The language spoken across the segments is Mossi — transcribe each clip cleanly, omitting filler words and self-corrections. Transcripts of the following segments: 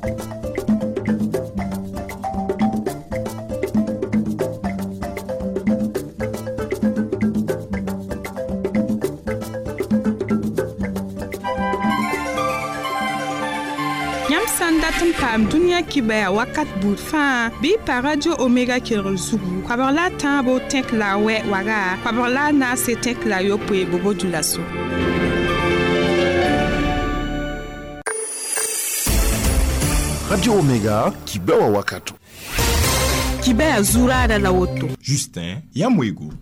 Yãmb sã n dat n paam dũniyã kibaya wakat buud fãa bɩ y pa Radio Omega kelgr zugu koabg la a tãabo tẽk la a wɛ waga koabg la a naase tẽk la a yopoe bobo dulaso. Radio Omega, kibewa wakato. Kibaya zuraada la woto. Justin Yamwego.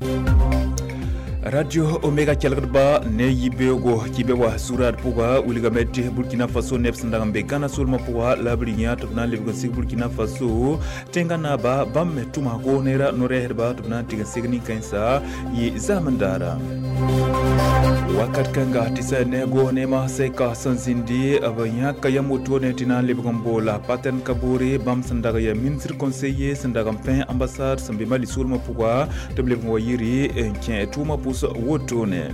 Radio Omega kelgdba ne yibeogo kibe wa zurad pʋga wilgame tɩ Burkina Faso neb sẽn dag n be Gana soolmã pʋga la b rɩ yã tɩ b na n lebg n sig Burkina Faso tẽngã naaba bãmb me tʋma goos-neerã no-rɛɛsdba tɩ b na n tɩg n sig nin-kãensa yɩ zaamend daara wakat kãnga tɩ sã ne goos neemã sɛka sẽn zĩndi b yãka yam wotone tɩ na n lebg n boola Paterne Kaboré bãmb sẽn dag yaa ministre conseiller sẽn dag n pẽ ambassade sẽn be Mali soolmã pʋga tɩ b lebg n wa yiri n kẽ tʋʋmã pʋs wotone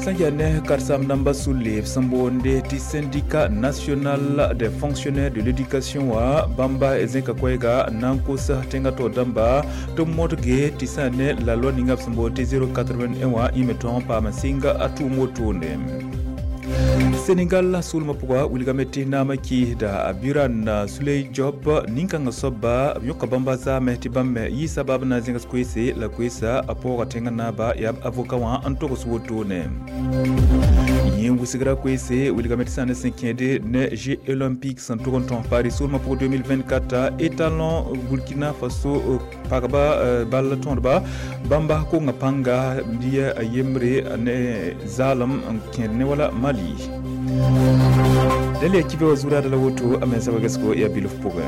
sẽn yaa ne karen-saam dãmba sulle b sẽn boonde tɩ Syndicat national des fonctionnaires de l'éducation wã bãmba zẽka koɛɛga n na n kos tẽngã taoor dãmba tɩ b modge tɩ sã ne la loi ninga b sẽn boond tɩ 081 wã yẽ me tõog n paam n sɩng a tʋʋm wotone. Senegal soolmã pʋga wilgame tɩ naamã kɩɩsda Birane Souleye Diop nin-kãngã soaba b yõka bãmba zaame tɩ bãmb me yɩ sabab na n zẽgs koeese la koeesa a paooga tẽngã naaba yaa b avocat wã n togs wotone. Yẽ wʋsgra koeese wilgame tɩ sã ne sẽn kẽede ne Jeux olympiques sẽn tʋg n tõs Paris soolmã pʋgã 2024 étalon Burkina Faso pagba ball tõdba bãmba konga pãnga bia a yembre ne zaalem n kẽed ne wala Mali. Dẽla ya kibe wa zuraada la woto a mensa wagesgo yaa bilf pʋgẽ.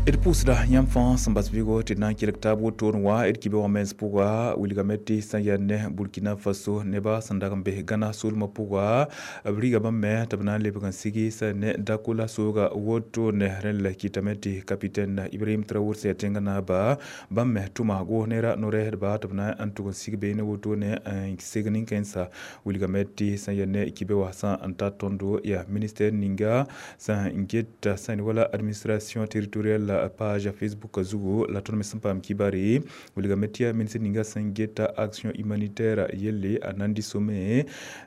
D pʋʋsda yãmb fãa sẽn bas vɩgo tɩ d na n kelg taab wotone wã d kibe wã mens pʋga wilgame tɩ sã yaa ne Burkina Faso neba sẽn dag n bes Gana soolmã pʋga b riga bãmb me tɩ b na n lebg n sigi sã ne dakola sooga wotone rẽnd la kɩtame tɩ capitaine Ibrahim Traoré sẽn yaa tẽngã naaba bãmb me tʋma goos-neerã no-rɛɛsdba tɩ b na n tʋg n sig beene wotone n seg nin-kãensã wilgame tɩ sã yaa ne kibe wã sã n tar tõndo yaa ministère ninga sã n geta sã wala administration territoriale page Facebook zugu la tõnd me sẽn paam kibare wilgame tɩ yaa ministre ninga sẽn geta action humanitaire yelle a nan dɩ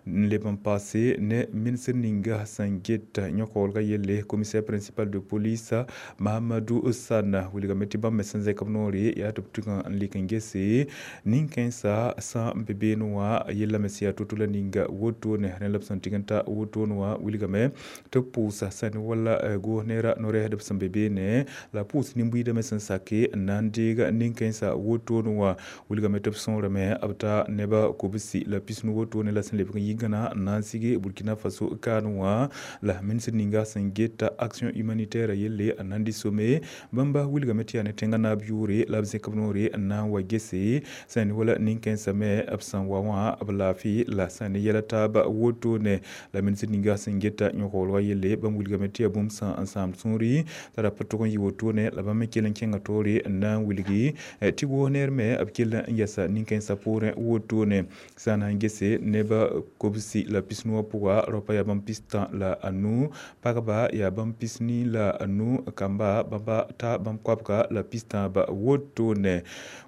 n leb n paase ne ministre ninga sẽn geta yõk-waoolga yelle commissaire principal de police Mahamadou Sana wilgame tɩ bãmb me sẽn zẽk b noore yaa tɩ b tʋg n lek n gese nin-kãensã sã n be beene wã yella me sẽn yaa to-to la ninga wotone rẽ la b sẽn tɩg n ta wotone wã wilgame tɩ b pʋʋsa sã ne wala goos-neerã no-rɛɛsdb sẽn be beene la pʋʋs nin-buiidame sẽn sake n na n deeg nin-kãensã wotone wã wilgame tɩ b sõorame b ta neba kobsi la pisnu wotone la sẽn lebg n yi gãna n na n sige Burkina Faso kaan wã la ministre ninga sẽn geta action humanitaire yelle a nan dɩ some bãmba wilgame tɩ yaa ne tẽngã naab yʋʋre la b zẽk b noore n na n wa gese sã ne wala nin-kãensã me b sẽn wa wã b laafɩ la sã ne yɛla taaba wotone la ministre ninga sẽn geta yõk-waoolga yelle bãmb wilgame tɩ yaa bũmb sã n sãam sũuri t'a ra pa tʋg n yɩ wotone la bãmb me kell n kẽnga taoore n na n wilgi tɩ goos-neer me b kell n yɛsa nin-kãensã poorẽ wotone sã n na n gese neba kobsi la pisnu wã pʋga raopa yaa bãmb pistã la anu pagba yaa bãmb pisni la anu kamba bãmba ta bãmb koabga la pistãaba wotone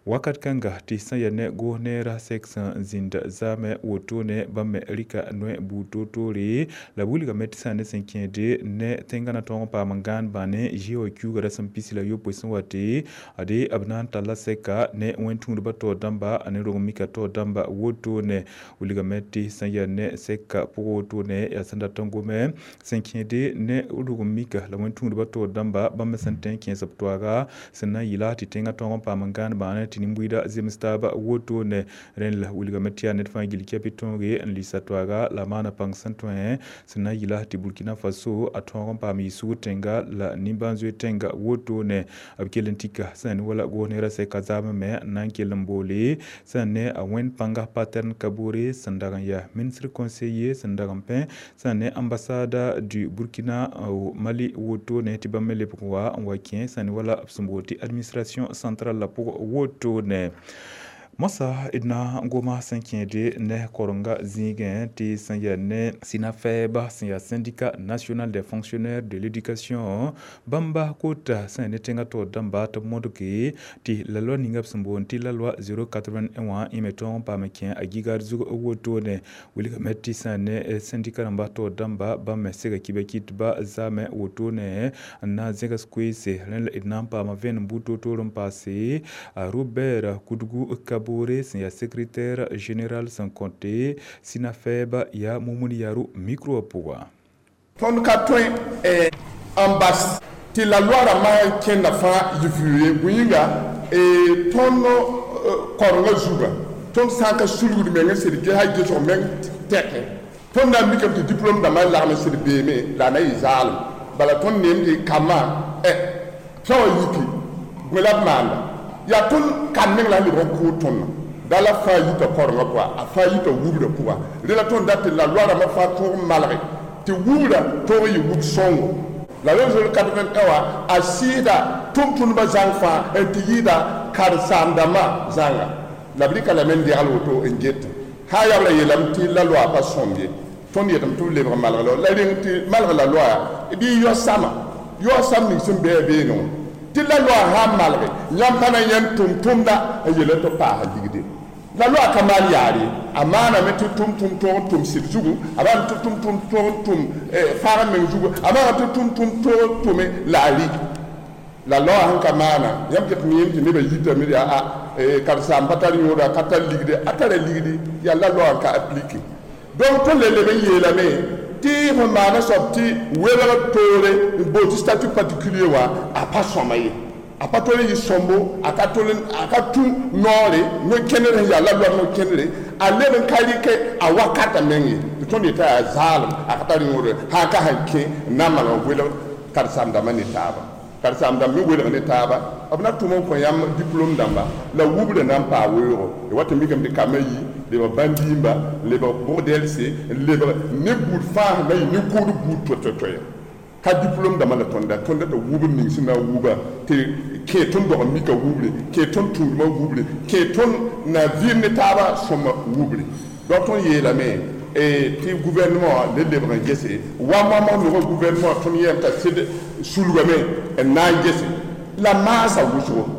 wakat kãnga tɩ sã yaa ne goos-neerã sɛk sẽn zĩnd zaamẽ wotone bãmb me rɩka noe buud toor-toore la b wilgame tɩ sã ne sẽn kẽede ne tẽngã na tõog n paam n gãan bãne zɩ wã kiuuga rasem pisi la yopoe sẽn wa tɩ ade b na n talla sɛka ne wẽn-tũudbã taoor dãmba a ne rong mika taoor dãmba wotone wilgame tɩ sã yaa ne sɛka pʋgã wotone yaa sẽn dat n gome sẽn kẽede ne rog mika la wẽn-tũudbã taoor dãmba bãmb me sẽn tõe n kẽes b toaaga sẽn na n yɩla tɩ tẽngã tõog n paam n gãan bãane tɩ nin-buiidã zems taaba wotone rẽnd la wilgame tɩ yaa ned fãa gill kɛpɩ tõoge n lɩɩsa toaaga la maana pãng sẽn tõe sẽn na n yɩla tɩ Burkina Faso a tõog n paam yɩ-sugr tẽnga la nimbãan-zoeer tẽnga wotone b kell n tika sã ne wala goos-neerã sɛka zaamẽ me n na n kell n boole sã ne a wẽnd pãnga Paterne Kaboré sẽn dag n yaa ministre conseiller sẽn dag n pẽ sã ne ambassade du Burkina au Mali wotone tɩ bãmb me lebg n wa n wa kẽ sã ne wala b sẽn bool tɩ administration centrale la pʋgã wotone. Moasã d na n goma sẽn kẽede ne korenga zĩigẽ tɩ sẽn yaa ne SYNAFEB sẽn yaa Syndicat national des fonctionnaires de l'éducation bãmba kota sẽn yaa ne tẽngã taoor dãmba tɩ b modge tɩ la loi ninga b sẽn boond tɩ la loi 081 wã yẽ me tõog n paam n kẽ a gigad zug wotone. Wilgame tɩ sẽn yaa ne syndicat rãmba taoor dãmba bãmb me sega kibã kɩtba zaame wotone n na n zẽgs koeese. Rẽ la d na n paama vẽenem buud toor-toor n paase a Robert Kudgu Kabore sẽn yaa secrétaire général sẽn kõte SYNAFEB yaa Mumuni Yaru micro wã pʋga. Tõnd ka tõe n bas tɩ la loi rãmbã n kẽnda fãa yɩ vɩʋ ye. Bõe yĩnga tõnd korengã zugã tõnd sã n ka sulgd meng n sed ges a gesg meng tɛkẽ, tõnd na n mikame tɩ diplôme dãmbã lagm n sed beeme la a na yɩ zaalem. Bala tõnd neem tɩ kambã sã wã yiki bõe la b maanda yaa tõnd kan meng la n lebg n kʋʋd tõndã da la fãa yita korengã pʋga, a fãa yita wubdã pʋga. Rẽ la tõnd dat tɩ la loi rãmbã fãa tõog n malge tɩ wubdã tõog n yɩ wub sõngo. La loi 081 wã a sɩɩda tʋm-tʋmdbã zãng fãa n tɩ yɩɩda karen-saam-dãmbã zãnga. La b rɩka lame n degl woto n get sã n yaa b ra yeelame tɩ la loa pa sõmb ye. Tõnd yetame tɩ b lebg malg la reng tɩ malg la loa bɩ yao-sãma yao-sãm ning sẽn be a beene wã tɩ la loa sã n malge yãmb pa na yãnd tʋm-tʋmda n yeela tɩ b paasa ligde. La loa ka maan yaar ye, a maaname tɩ tʋm-tʋm tõog n tʋm sɩd zugu, a maaname tɩ tʋm-tʋm tõog n tʋm fãag meng zugu, a maaname tɩ tʋm-tʋm tõog n tʋme la a rɩ. La loa sẽn ka maana yãmb ket miime tɩ nebã yitame yaa a karen-saam pa tar yõoda, a ka tar ligde, a tara ligde, yaa la loa n ka aplike. Donc tõnd le leb n yeelame tɩ fõ maana soab tɩ welg toore n bool tɩ statut particulier wã a pa sõma ye. A pa tol n yɩ sõmbo, a ka tol a ka tũ noore no-kẽnder sẽn yaa la loa no-kẽndre, a leb n ka rɩkɛ a wakatã meng ye. Tɩ tõnd yeta yaa zaalem, a ka tar yõore sã n ka sẽn kẽ n na n maneg n welg karen-saam-dãmbã ne taaba. Karen-saam-dãmb me welg ne taaba, b na tʋm n kõ yãmb diplôme dãmba la wubdã na n paa weoogo. D wat n mikame tɩ kambã yi lebg bãn-diimba, lebg bʋg-dɛlse, lebg ne buud fãa sẽn na yɩ nin-kʋʋd buud toay-toay. Ka diplôme dãmbã la tõnda tõnda t'a wubr ning sẽn na n wuba tɩ kẽ tõnd dog n mika wubre, kẽ tõnd tũudmã wubre, kẽ tõnd na vɩɩm ne taabã sõma wubre. Donc tõnd yeelame tɩ gouvernement wã le lebg n gese wa moamag nogã gouvernement wã tõnd yɛm t'a sɩd sulgame n na n gese la maasa wʋsgo.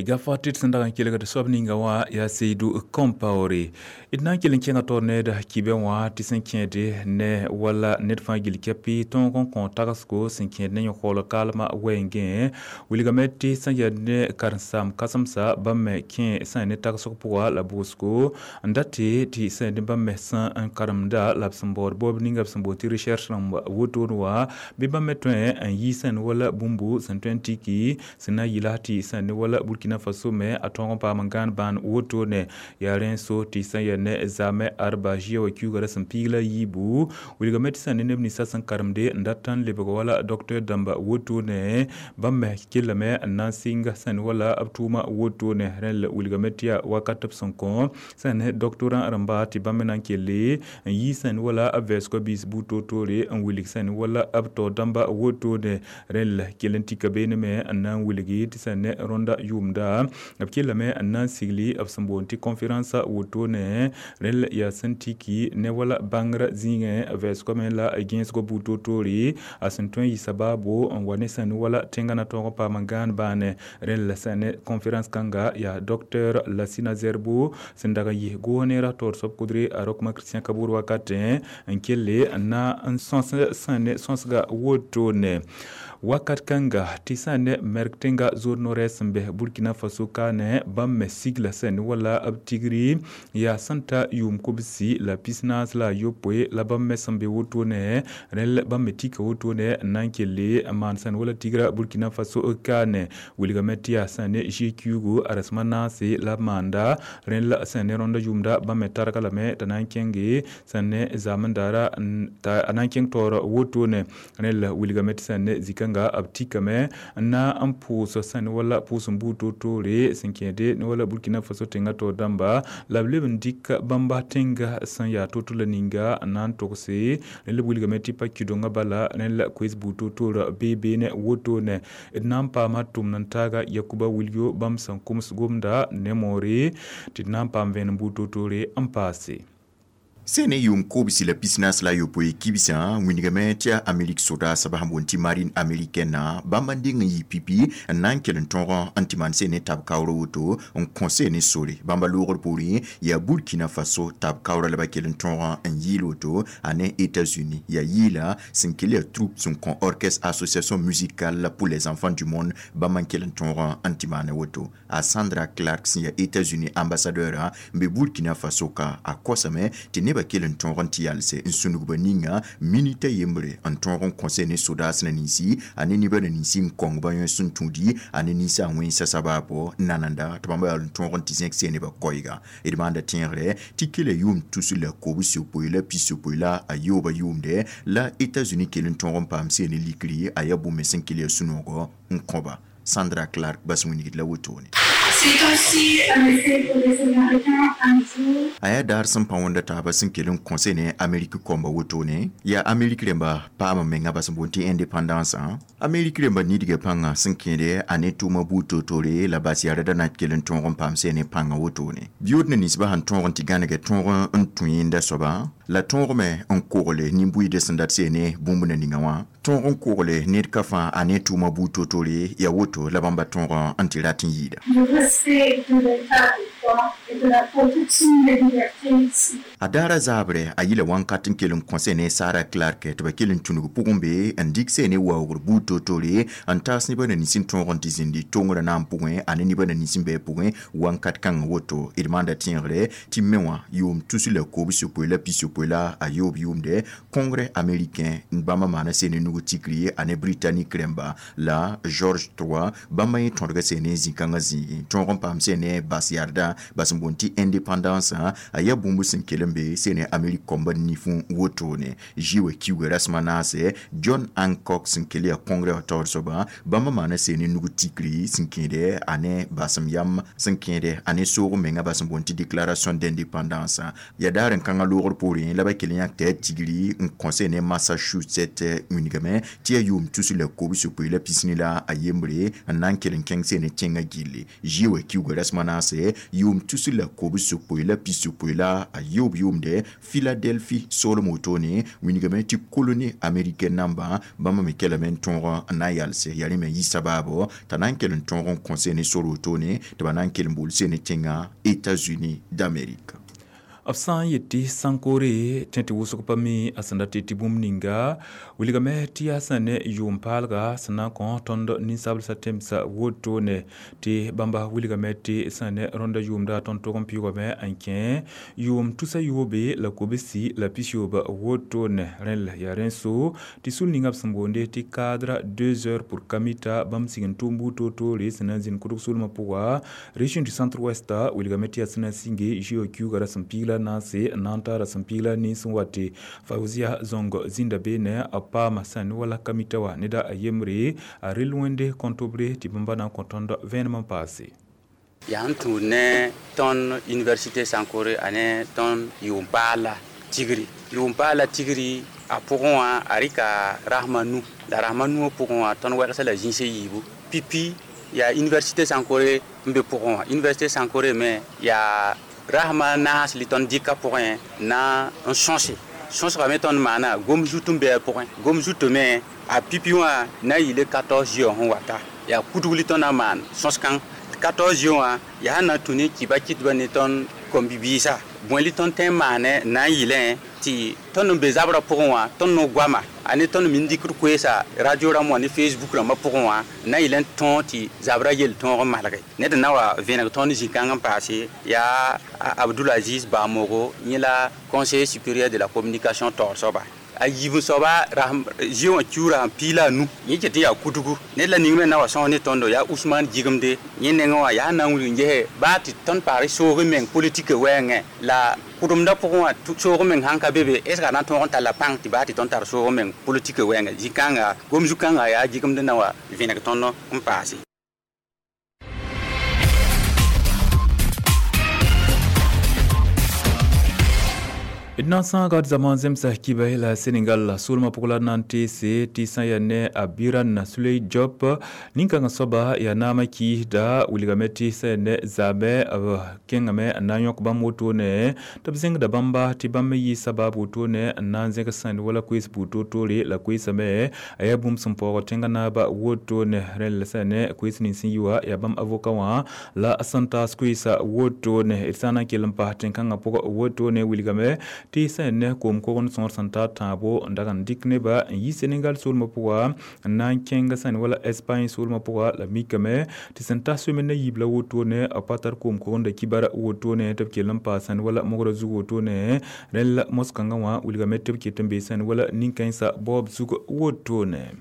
Gafa tɩ d sẽn dag n kelgd soab ninga wã yaa Seydou Compaoré. D na n kell n kẽnga taoor need kibẽ wã tɩ sẽn kẽede ne wala ned fãa gill kɛpɩ tõog n kõ tagsgo sẽn kẽed ne yõ-kaool kaalmã wɛɛngẽ. Wilgame tɩ sẽn yaa ne karen-saam kãsemsa bãmb me kẽ sẽn yaa ne tagsg pʋga la bʋʋsgo n dat tɩ sẽn yaa ne bãmb me sẽn n karemda la b sẽn baood baoob ninga b sẽn boond tɩ recherche rãmb wotone wã bɩ bãmb me tõe n yɩ sẽn wala bũmbu sẽn tõe n tiki sẽn na n yɩla tɩ sẽn ne wala Burkina Faso me a tõog n paam n gãan bãan wotone. Yaa rẽ so tɩ sẽn yaa ne zaamẽ arba zia wa kiuuga sẽn piig la yiibu. Wilgame tɩ sẽn ne neb ninsã sẽn karemde n dat n lebg wala docteur dãmba wotone bãmb me kellame n na n sɩng sẽn wala b tʋʋma wotone. Rẽ la wilgame tɩ yaa wakat b sẽn kõ sẽn ne doctorant rãmba tɩ bãmb me na n kelle n yɩ sẽn wala b vɛɛsgã biis buud toor-toore n wilg sẽn wala b taoor dãmba wotone. Rẽ la kell n tika beene me n na n wilgi tɩ sẽn ne rõnda yʋʋmda b kellame n na n sigli b sẽn boond tɩ conférence wotone. Rẽ la yaa sẽn tiki ne wala bãngrã zĩigẽ vɛɛsgã me la gẽesgã buud toor-toore a sẽn tõe n yɩ sabaabo n wa ne sẽn wala tẽngã na tõog n paam n gãan bãane. Rẽ la sẽn ne conférence kãnga yaa docteur Lassina Zerbo sẽn dag n yɩ goneera taoor soab kudre a Rokma Christian Kabour wakatẽ n kelle n na n sõs sẽn ne sõsga wotone. Wakat kãnga tɩ sã ne mɛrg tẽnga zood no-rɛɛs sẽn bɛ Burkina Faso kaane bãmb me sigla sẽn wala b tigri yaa sẽn ta yʋʋm kobsi la pisnaas la a yopoe la bãmb me sẽn be wotone. Rẽ la bãmb me tika wotone n na n kelle n maan sẽn wala tigra Burkina Faso kaane. Wilgame tɩ yaa sẽn ne zi-kiuugu a rasem a naase la b maanda. Rẽ la sẽn ne rõnda yʋʋmda bãmb me targa lame t'a na n kẽnge sẽn ne zaamendaara a na n kẽng taoor wotone. Rẽ la wilgame tɩ sẽn ne zĩ-kãnga b tikame n na n pʋʋs sẽn wala pʋʋs n buud toor-toore sẽn kẽede ne wala Burkina Faso tẽngã taoor dãmba la b leb n dɩk bãmba tẽnga sẽn yaa to-to la ninga n na n togse rẽ la b wilgame tɩ pa kidongã bala rẽ la koees buud toor-toorã bee beene wotone d na n paama tʋmd n taaga Yakuba Wilyo bãmb sẽn kʋms gomda ne moore tɩ d na n paam vẽenem buud toor-toore n paase. Sene yʋʋm kobsi la pisnaas la ayopoe kibsã wĩnigame tɩ yaa Amerik sodaasba sẽn boond tɩ marine américaine bãmb n deng n yɩ pipi n na n kell n tõog n tɩ maan sene tab kaoora woto n kõ sene sore bãmba loogr poorẽ yaa Burkina Faso tab kaoora la ba kell n tõog n yɩɩl woto a ne États-Unis yaa yɩɩla sẽn kell yaa troupe sẽn kõ orchestre association musicale pour les enfants du monde bãmb n kell n tõog n tɩ maane woto a Sandra Clark sẽn yaa États-Unis ambassadeur n be Burkina Faso ka a kosame tɩ neba kell n tõog n tɩ yalse n sũnugba ninga minita yembre n tõog n kõse ne sodaas na ninsi a ne nebã na ninsi n kõng ba yõ sẽn tũudi a ne ninsa a wẽnsa sabaabo nananda tɩ bãmba yaa n tõog n tɩ zẽk see nebã koɛɛga d maanda tẽegre tɩ kela yʋʋm tus la kobs-yopoe la pis-yopoe la a yooba yʋʋmde la États-Unis kell n tõog n paam see ne likri a yaa bũmb sẽn kell yaa sũ-noogɔ n kõba Sandra Clark bas wĩnigd la wotone. C'est aussi un effet pour les Américains un jour. A yaa daar sẽn pa wẽnda taaba sẽn kell n kõse ne Amerik kõmba wotone yaa Amerik rẽmba paam menga bas n boond tɩ indépendance Amerik rẽmba nidga pãnga sẽn kẽede a ne tʋʋma buud toor-toore la bas yaa da na kell n tõog n paam see ne pãngã wotone biyood ne ninsbã sẽn tõog n tɩ gãnegɛ tõog n tũ yẽnda soaba la tõog me n kogle nin-buiidã sẽn dat see ne bũmb na ninga wã tõog n kogle ned ka fãa a ne tʋʋma buud toor-toore yaa woto la bãmba tõog n tɩ rat n yɩɩda. Le respect de l'état de droit et de la protection des libertés ici. A daara zaabre a yila wãnkat n kell n kõse ne Sara Clark tɩ ba kell n tũnug pʋgẽ be n dɩk see ne waoogr buud toor-toore n taas nebã na nins n tõog n tɩ zĩndi tongrã na n pʋgẽ a ne nebã na nins n bɩ pʋgẽ wãnkat kãngã woto d maanda tẽegre tɩ me wã yʋʋm tus la kobs-yopoe la pis-yopoe la a yoob yʋʋmde congrès américain bãmba maana see ne nug tikri a ne britannique rẽmba la George III bãmba yẽ tõdga see ne zĩ-kãngã zĩigi tõog n paam see ne bas yarda bas n boond tɩ indépendance a yaa bũmb sẽn kell n be see ne Amerik kõmba nifẽ wotone zi wa kiuga rasmã naase John Hancock sẽn kell yaa congrès wã taoor soaba bãmba maana see ne nug tikri sẽn kẽede a ne basem yam sẽn kẽede a ne soog menga bas n boond tɩ déclaration d'indépendance yaa daar n kãngã loogr poorẽ la ba kell n yãk tɩ yaa tigri n kõ see ne Massachusetts wĩnigame tɩ yaa yʋʋm tus la kobs-yopoe la pisni la a yembre n na n kell n kẽng see ne tẽngã gilli zi wa kiuga rasmã naase yʋʋm tus la kobs-yopoe la pis-yopoe la a yoob yʋʋmde Philadelphie soolem wotone wĩnigame tɩ colonie américaine namba bãmba me kelame n tõog n na n yalse yaa rẽ me yɩ sabaabo t'a na n kell n tõog n kõ see ne sor wotone tɩ ba na n kell n bool see ne tẽngã États-Unis d'Amérique. B sã n yet tɩ Sankore tẽ tɩ wʋsg pa mi a sẽn dat tɩ bũmb ninga wilgame tɩ yaa sẽn ne yʋʋm paalga sẽn na n kõ tõnd ninsablsã tẽmsã wotone tɩ bãmba wilgame tɩ sẽn ne rõndã yʋʋmda tõnd tog n pɩʋgame n kẽ yʋʋm tusa yoobe la kobsi la pis-yoob wotone rẽn la yaa rẽ so tɩ sul ninga b sẽn boonde tɩ cadre 2 heures pour Kamita bãmb sig n tʋʋm buud toor-toore sẽn na n zĩnd kʋdg soolmã pʋga région du centre ouest wilgame tɩ yaa sẽn na n sĩnge zio kiuga ra sẽn piig la naase n na n taara sẽn piig la nins n wa tɩ Fauzia Zong zĩnda beene a paama sẽn ne wala Kamita wã neda a yembre a rel wẽnde kõtobre tɩ bãmba na n kõ tõnd vẽenem n paase. Yaa n tũud ne tõnd université Sankore a ne tõnd yʋʋm paala tigri yʋʋm paala tigri a pʋgẽ wã a rɩka rasma nu la rasma nuwã pʋgẽ wã tõnd wɛlgsa la zĩis yiibu pipi yaa université Sankore n be pʋgẽ wã université Sankore me yaa rasma naas li tõnd dɩka pʋgẽ na n sõse sõsgame tõnd maana gom zut n bɩ a pʋgẽ gom zutã me a pipi wã na n yɩle 14 yɔ sẽn wata yaa kudg li tõnd na n maan sõs-kãng 14 yɔ wã yaa na n tũ ne kiba kɩtba ne tõnd kom-bibiisã bõe li tõnd tõe n maane na n yɩlẽ tɩ tõnd n be zabrã pʋgẽ wã tõnd no goama a ne tõnd me n dɩkd koeesa radio rãmb wã ne Facebook rãmbã pʋgẽ wã na n yɩl n tõog tɩ zabrã yel tõog n malge ned n na wa vẽneg tõnd zĩ-kãng n paase yaa Abdoul Aziz Bamogo yẽ la conseiller supérieur de la communication taoor soaba a yiib soaba zĩ wã kiuura sẽn piig la a nu yẽ ket n yaa kudugu ned la ning me na wa sõs ne tõndo yaa Ousmane Jigimde yẽ nengẽ wã yaa na n wilg n gese baa tɩ tõnd paagr soog meng politique wɛɛngẽ la kʋdemdã pʋgẽ wã soog meng sãn ka be be est ce que a na n tõog n talla pãng tɩ baa tɩ tõnd tar soog meng politique wɛɛngẽ zĩ-kãnga gom zu-kãngã yaa Jigimd na wa vẽneg tõnd n paase. D na n sãaga d zama zemsa kiba la Senegal soolmã pʋg la na n teese tɩ sã n yaa ne a Biran Suley Diop. Nin-kãngã soaba yaa naamã kiisda wilgame tɩ sã n yaa ne zaamɛ b kẽngame n na n yõk bãmb wotone tɩ b zẽngda bãmba tɩ bãmb me yɩ sabab wotone n na n zẽg sãnd wala koees buud toor-toore la koeesame a yaa bũmb sẽn paoog tẽngã naaba wotone. Rẽnd la sã n yaa ne koees nins sẽn yi wã yaa bãmb avoka wã la sẽn taas koeesa wotone. D sã n na n kell n pas tẽn-kãngã pʋgã wotone wilgame tɩ sã n ne koom-kogend sõor sẽn tar tãabo n dag n dɩk neba n yi Senegal soolmã pʋga n na n kẽng sã n wala Espagne soolmã pʋga la mikame tɩ sẽn ta soeme na yiib la wotone a pa tar koom-kogendã kibar wotone tɩ b kell n paas sã n wala mogrã zug wotone. Rẽnd la mos-kãngã wã wilgame tɩ b ket n bee sã n wala nin-kãensã baoob zug wotone.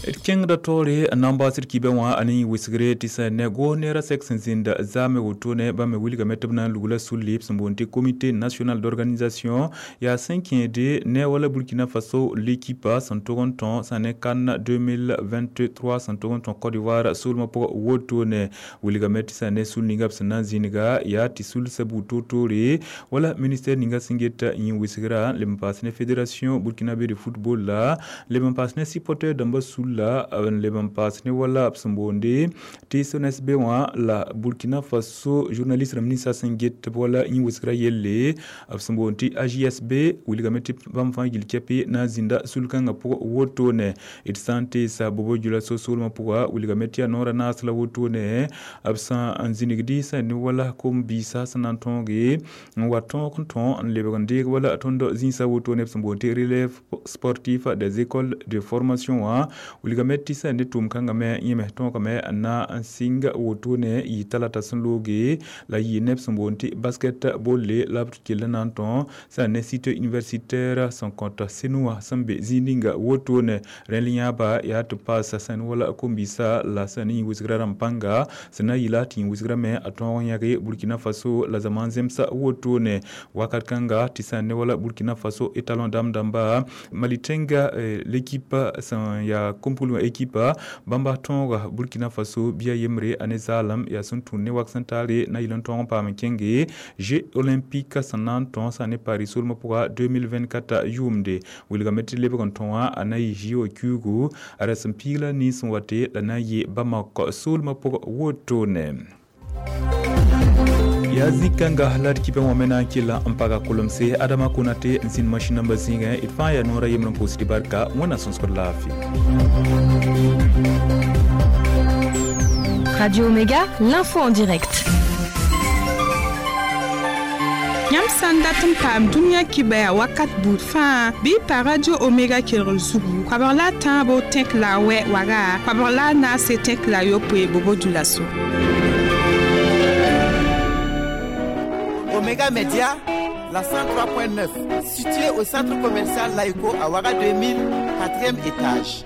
D kẽngda taoore n na n baoosd kibã wã a ne yẽ wɩsgre tɩ sã ne goos neerã sɛk sẽn zĩnda zaame wotone bãmb me wilgame tɩ b na n lugla sulli b sẽn boond tɩ Comité national d'organisation yaa sẽn kẽede ne wala Burkina Faso l'équipe sẽn tog n tõ sã ne CAN 2023 sẽn tog n tõ Côte d'Ivoire soolmã pʋgã wotone. Wilgame tɩ sã ne sul ninga b sẽn na n zĩnga yaa tɩ sulsa buud toor-toore wala ministère ninga sẽn get yẽ wɩsgrã leb n paas ne fédération burkinabé de football la leb n paas ne supporter dãmbã sul la n leb n paas ne wala b sẽn boonde tɩ SONSB wã la Burkina Faso journaliste rãmb ninsã sẽn get wala yẽ wɩsgrã yelle b sẽn boond tɩ AJSB wilgame tɩ bãmb fãa gill kɛpɩ na n zĩnda sul-kãngã pʋgã wotone. D sã n teesa Bobo Dioulasso soolmã pʋga wilgame tɩ yaa noorã naas la wotone b sã n zĩnigdi sã ne wala kom-biisã sẽn na n tõoge n wa tõog n tõ n lebg n deeg wala tõnd zĩisã wotone b sẽn boond tɩ relève sportif des écoles de formation wã wilgame tɩ sã ne tʋʋm-kãngã me yẽ me tõogame n na n sɩng wotone yɩ talata sẽn looge la yɩ neb sẽn boond tɩ basket bolle la b kell n na n tõ sã ne site universitaire sẽn kõt Senou wã sẽn be zĩig ninga wotone. Rẽnd yãaba yaa tɩ paasa sã ne wala kom-biisã la sã ne yẽ wɩsgrã rãmb pãnga sẽn na n yɩla tɩ yẽ wɩsgrã me a tõog n yãge Burkina Faso la zaman zemsa wotone. Wakat kãnga tɩ sã ne wala Burkina Faso étalon dam dãmba Mali tẽnga l'équipe sẽn yaa kom-pʋlgã équipe bãmba tõoga Burkina Faso bia yembre a ne zaalem yaa sẽn tũud ne wak sẽn taare na yɩl n tõog n paam n kẽnge Jeux olympiques sẽn na n tõ sã ne Paris soolmã pʋga 2024 yʋʋmde. Wilgame tɩ lebg n tõ wã a na yɩ JO kiuugu a ra sẽn piig la nins sẽn wate la na n yɩ Bamako soolmã pʋgã wotone. Yaa zĩ-kãnga la d kibã wã me na n kɩlla n paga kolemse Adama Konate n zĩnd masĩn nambã zĩigẽ d fãa yaa noorã yembr n pʋʋsd barka wẽnnaam sõsgd laafɩ. Radio Omega, l'info en direct. Yãmb sã n dat n paam dũniyã kibaya wakat buud fãa bɩ pa Radio Omega kelgr zugu koabg la a tãabo tẽk la a wɛ waga koabg la a naase tẽk la a yopoe Bobo Dioulasso. Omega Media, la 103.9, située au centre commercial Laïco à Ouaga 2000, 4e étage.